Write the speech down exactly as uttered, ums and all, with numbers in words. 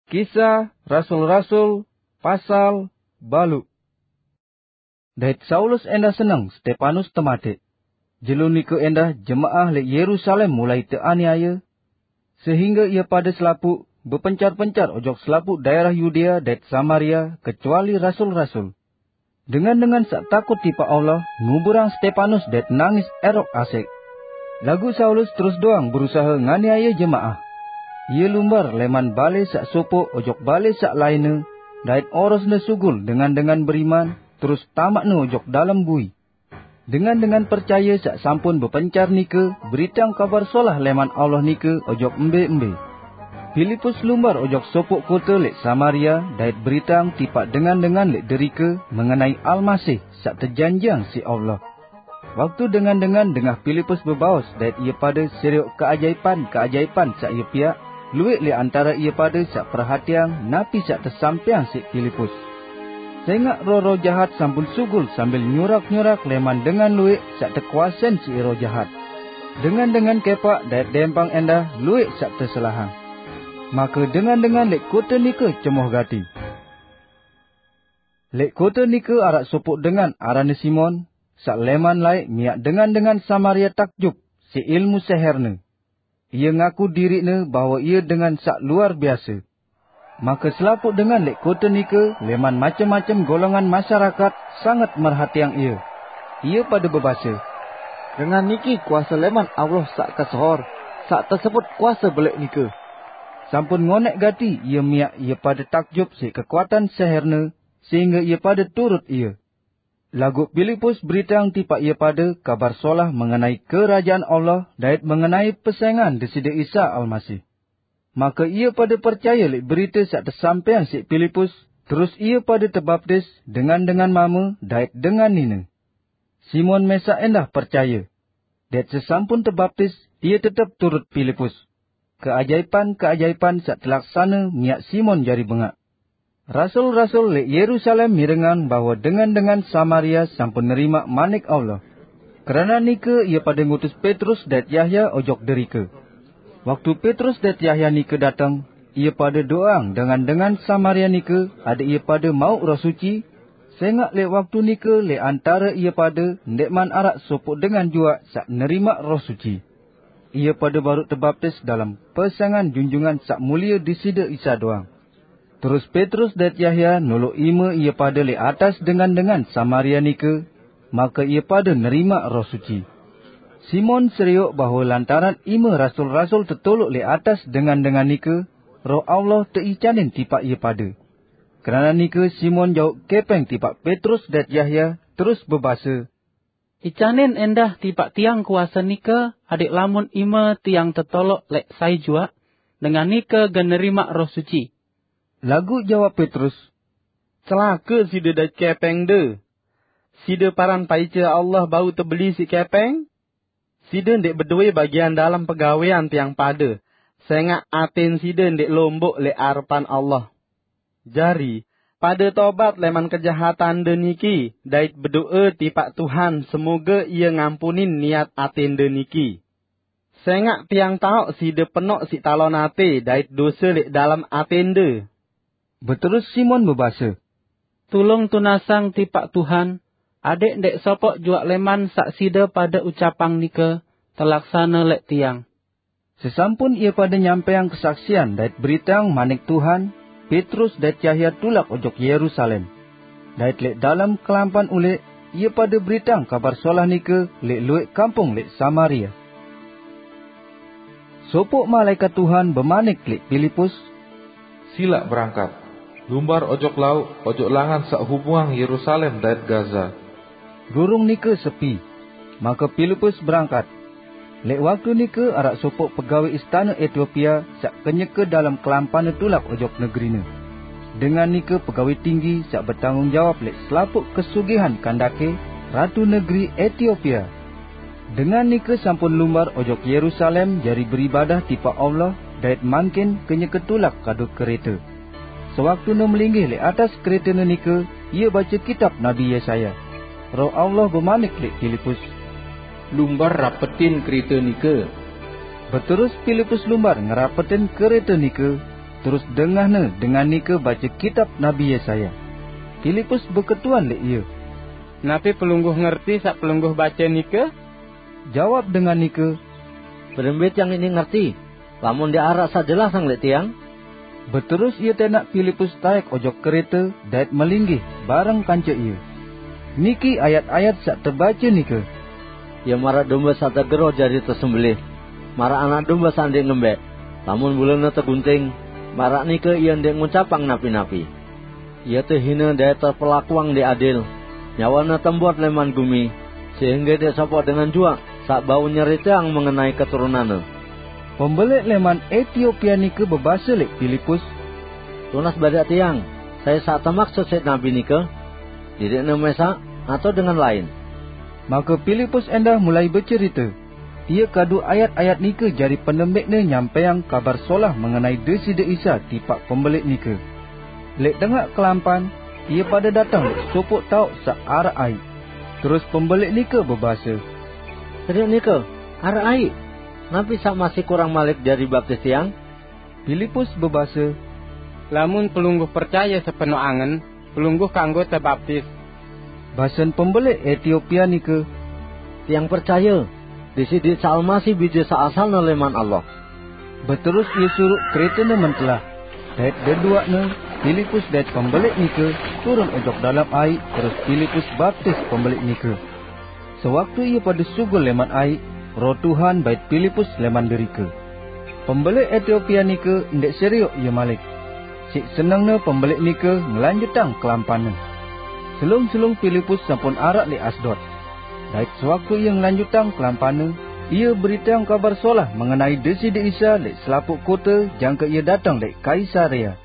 Kisah Rasul-Rasul, pasal baluq. Dait Saulus endah seneng Stepanus temateq. Jelo nike endah jemaah leq Yerusalem mulai teaniaye, sehingge ie pade selapuq bepencar-pencar ojok selapuq daerah Yudea dait Samaria, kecuali rasul-rasul. Dengan-dengan saq takut tipaq Allah nguburang Stepanus dait nangis erok asek. Laguq Saulus terus doang berusahe nganiaye jemaah. Ie lumbar leman bale saq sopoq ojok bale saq lainne, dait orosne sugul dengan-dengan beriman, terus tamaqne ojok dalem bui. Dengan-dengan percaye saq sampun bepencar nike beriteang Kabar Solah leman Allah nike ojok embe-embe. Pilipus lumbar ojok sopoq kote leq Samaria dait beriteang tipaq dengan-dengan leq derike mengenai Almasih saq tejanjiang siq Allah. Waktu dengan-dengan dengah Pilipus bebaos dait ie pade serioq keajaipan-keajaipan saq ie piaq, lueq leq antare ie pade saq perhatiang napi saq tesampaiang siq Pilipus. Sengaq roh-roh jahat sampun sugul sambil nyurak-nyurak leman dengan lueq saq tekuasein siq roh jahat. Dengan-dengan kepaq dait dempang endah lueq saq teselahang. Make dengan-dengan leq kote nike cemoh gati. Leq kote nike araq sopoq dengan aranne Simon, saq leman laeq miaq dengan-dengan Samaria takjub siq ilmu seherne. Ie ngaku diriqne bahwe ie dengan saq luar biase. Make selapuq dengan leq kote nike leman macem-macem golongan masyarakat sanget merhatiang ie. Ie pade bebase, "Dengan niki kuase leman Allah saq kesohor, saq tesebut Kuase Beleq nike." Sampun ngoneq gati ie miaq ie pade takjub siq kekuatan seherne, sehingge ie pade turut ie. Laguq Pilipus beriteang tipaq ie pade Kabar Solah mengenai Kerajaan Allah dait mengenai pesengan Deside Isa Almasih. Make ie pade percaye leq berite saq tesampaiang siq Pilipus, terus ie pade tebaptis, dengan-dengan mame dait dengan nine. Simon mesaq endah percaye, dait sesampun tebaptis, ie tetep turut Pilipus. Keajaipan-keajaipan saq telaksane miaq Simon jari bengaq. Rasul-rasul leq Yerusalem mirengang bahwe dengan-dengan Samaria sampun nerimaq Manik Allah. Keranaq nike, ie pade ngutus Petrus dait Yahya ojok derike. Waktu Petrus dait Yahya nike dateng, ie pade doang dengan-dengan Samaria nike adeq ie pade mauq Roh Suci, sengaq leq waktu nike leq antare ie pade ndeqman araq sopoq dengan juaq saq nerimaq Roh Suci. Ie pade baruq tebaptis dalem pesengan Junjungan Saq Mulie Deside Isa doang. Terus Petrus dait Yahya noloq ime ie pade leq atas dengan-dengan Samaria nike, make ie pade nerimaq Roh Suci. Simon serioq bahwe lantaran ime rasul-rasul tetoloq leq atas dengan-dengan nike, Roh Allah teicanin tipaq ie pade. Keranaq nike Simon jauq kepeng tipaq Petrus dait Yahya, terus bebase, "Icanin endah tipaq tiang kuase nike, adeq lamun ime tiang tetoloq leq sai juaq, dengan nike gen nerimaq Roh Suci." Laguq jawab Petrus, "Celake side dait kepengde! Side paran paice Allah bau tebeli siq kepeng? Side ndeq bedowe bagian dalem pegawean tiang pade, sengaq aten side ndeq lomboq leq arepan Allah. Jari, pade tobat leman kejahatande niki dait bedoe tipaq Tuhan semoge Ie ngampunin niat atende niki. Sengaq tiang taoq side penoq siq talon ate dait dose leq dalem atende." Beterus Simon bebase, "Tulung tunasang tipaq Tuhan, adeq ndeq sopoq juaq leman saq side pade ucapang nike telaksane leq tiang." Sesampun ie pade nyampaiang kesaksian dait beriteang Manik Tuhan, Petrus dait Yahya tulak ojok Yerusalem. Dait leq dalem kelampan uleq, ie pade beriteang Kabar Solah nike leq lueq kampung leq Samaria. Sopoq malaekat Tuhan bemanik leq Pilipus, "Silaq berangkat, lumbar ojok lauq, ojok langan saq hubungang Yerusalem dait Gaza." Gurung nike sepi, make Pilipus berangkat. Leq waktu nike araq sopoq pegawe istane Etiopia saq kenyeke dalem kelampanne tulak ojok negerine. Dengan nike pegawe tinggi saq betanggung jawab leq selapuq kesugihan Kandake, ratu negeri Etiopia. Dengan nike sampun lumbar ojok Yerusalem jari beribadah tipaq Allah dait mangkin kenyeke tulak kadu kerete. Sewaktune melinggih leq atas keretene nike, ie bace kitab Nabi Yesaya. Roh Allah bemanik leq Pilipus, "Lumbar rapetin kerete nike." Beterus Pilipus lumbar ngerapetin kerete nike. terus dengahne dengan nike bace kitab Nabi Yesaya. Pilipus beketuan leq ie, "Napi Pelungguh ngerti saq Pelungguh bace nike?" Jawab dengan nike, "Berembe tiang ini ngerti, lamun ndeq araq saq jelasang leq tiang?" Beterus ie tenaq Pilipus taek ojok kerete dait melinggih bareng kance ie. Niki ayat-ayat saq tebace nike, "Ie maraq dombe saq tegeroh jari tesembelih, maraq anak dombe saq ndeq ngembeq. Lamun bulene tegunting, maraq nike ie ndeq ngucapang napi-napi. Ie tehine dait tepelakuang ndeq adil. Nyawane tembot leman gumi, sehingge ndeq sopoq dengan juaq saq bau nyeriteang mengenai keturunanne." Pembeleq leman Etiopia nike bebase leq Pilipus, "Tunas badaq tiang, sai saq temaksut siq nabi nike? Diriqne mesaq atao dengan lain?" Make Pilipus endah mulai becerite. Ie kadu ayat-ayat nike jari penembeqne nyampeang Kabar Solah mengenai Deside Isa tipaq pembeleq nike. Leq tengaq kelampan, ie pade dateng leq sopoq taoq saq araq aiq. Terus pembeleq nike bebase, "Serioq nike araq aiq. Napi saq masih kurang malik jari baptis tiang?" Pilipus bebase, "Lamun Pelungguh percaye sepenoq angen, Pelungguh kanggo tebaptis." Basen pembeleq Etiopia nike, "Tiang percaye, Deside Isa Almasih Bije saq asalne leman Allah." Beterus ie suruq keretene mentelah, dait deduaqne, Pilipus dait pembeleq nike, turun ojok dalem aiq, terus Pilipus baptis pembeleq nike. Sewaktu ie pade sugul leman aiq, Roh Tuhan bait Pilipus leman derike. Pembeleq Etiopia nike ndeq serioq ie malik. Siq senengne pembeleq nike ngelanjutang kelampanne. Selung-selung Pilipus sampun araq leq Asdod. Dait sewaktu ie ngelanjutang kelampanne, ie beriteang Kabar Solah mengenai Deside Isa leq selapuq kote jangke ie dateng leq Kaisarea.